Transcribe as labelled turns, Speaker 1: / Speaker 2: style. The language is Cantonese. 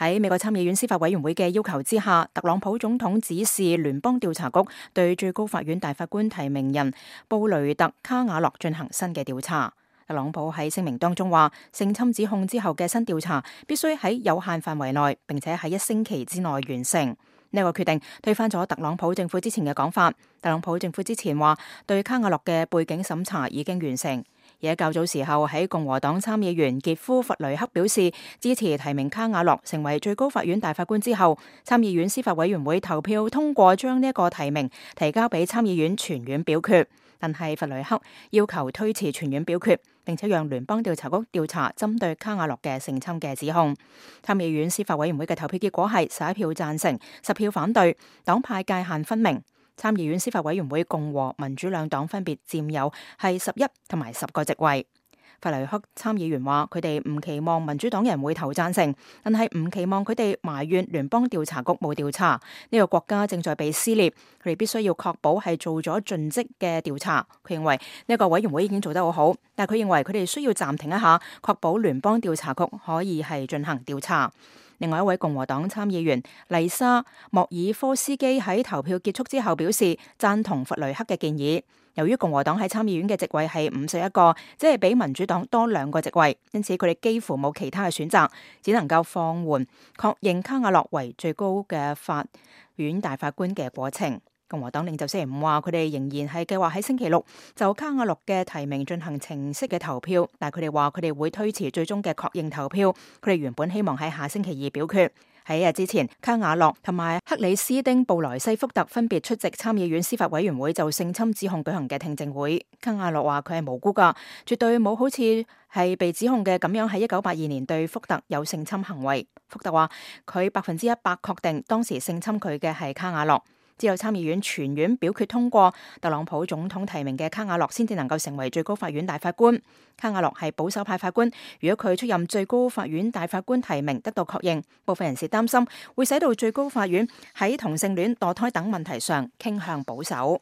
Speaker 1: 喺美國參議院司法委員會嘅要求之下，特朗普總統指示聯邦調查局對最高法院大法官提名人布雷特·卡瓦諾進行新嘅調查。特朗普喺聲明當中話，性侵指控之後嘅新調查必須喺有限範圍內，並且喺1星期之內完成。呢個決定推翻咗特朗普政府之前嘅講法。特朗普政府之前話對卡瓦諾嘅背景審查已經完成。而喺較早時候，喺共和黨參議員傑夫·弗雷克表示支持提名卡瓦諾成為最高法院大法官之後，參議院司法委員會投票通過將呢一個提名提交俾參議院全院表決。但係弗雷克要求推遲全院表決，並且讓聯邦調查局調查針對卡瓦諾嘅性侵嘅指控。參議院司法委員會嘅投票結果係11票贊成，10票反對，黨派界限分明。參議院司法委員會共和民主兩黨分別佔有係11同埋10個席位。弗雷克參議員話佢哋唔期望民主黨人會投贊成，但係唔期望佢哋埋怨聯邦調查局冇調查。呢個國家正在被撕裂，佢哋必須要確保係做咗盡職嘅調查。佢認為呢個委員會已經做得好好，但係佢認為佢哋需要暫停一下，確保聯邦調查局可以係進行調查。另外一位共和黨參議員麗莎莫爾科斯基喺投票結束之後表示贊同弗雷克嘅建議。由於共和黨喺參議院嘅席位係51個，即係比民主黨多2個席位，因此佢哋幾乎冇其他嘅選擇，只能夠放緩確認卡瓦諾為最高嘅法院大法官嘅過程。共和黨領袖星期5話，佢哋仍然係計劃喺星期6就卡瓦諾嘅提名進行程式嘅投票，但係佢哋話佢哋會推遲最終嘅確認投票。佢哋原本希望喺下星期2表決。喺日之前，卡瓦諾同埋克里斯丁布萊西福特分別出席參議院司法委員會就性侵指控舉行嘅聽證會。卡瓦諾話佢係無辜噶，絕對冇好似係被指控嘅咁樣喺1982年對福特有性侵行為。福特話佢100%確定當時性侵佢嘅係卡瓦諾。只有參議院全院表決通過特朗普總統提名嘅卡瓦諾先至能夠成為最高法院大法官。卡瓦諾係保守派法官，如果佢出任最高法院大法官提名得到確認，部分人士擔心會使到最高法院喺同性戀、墮胎等問題上傾向保守。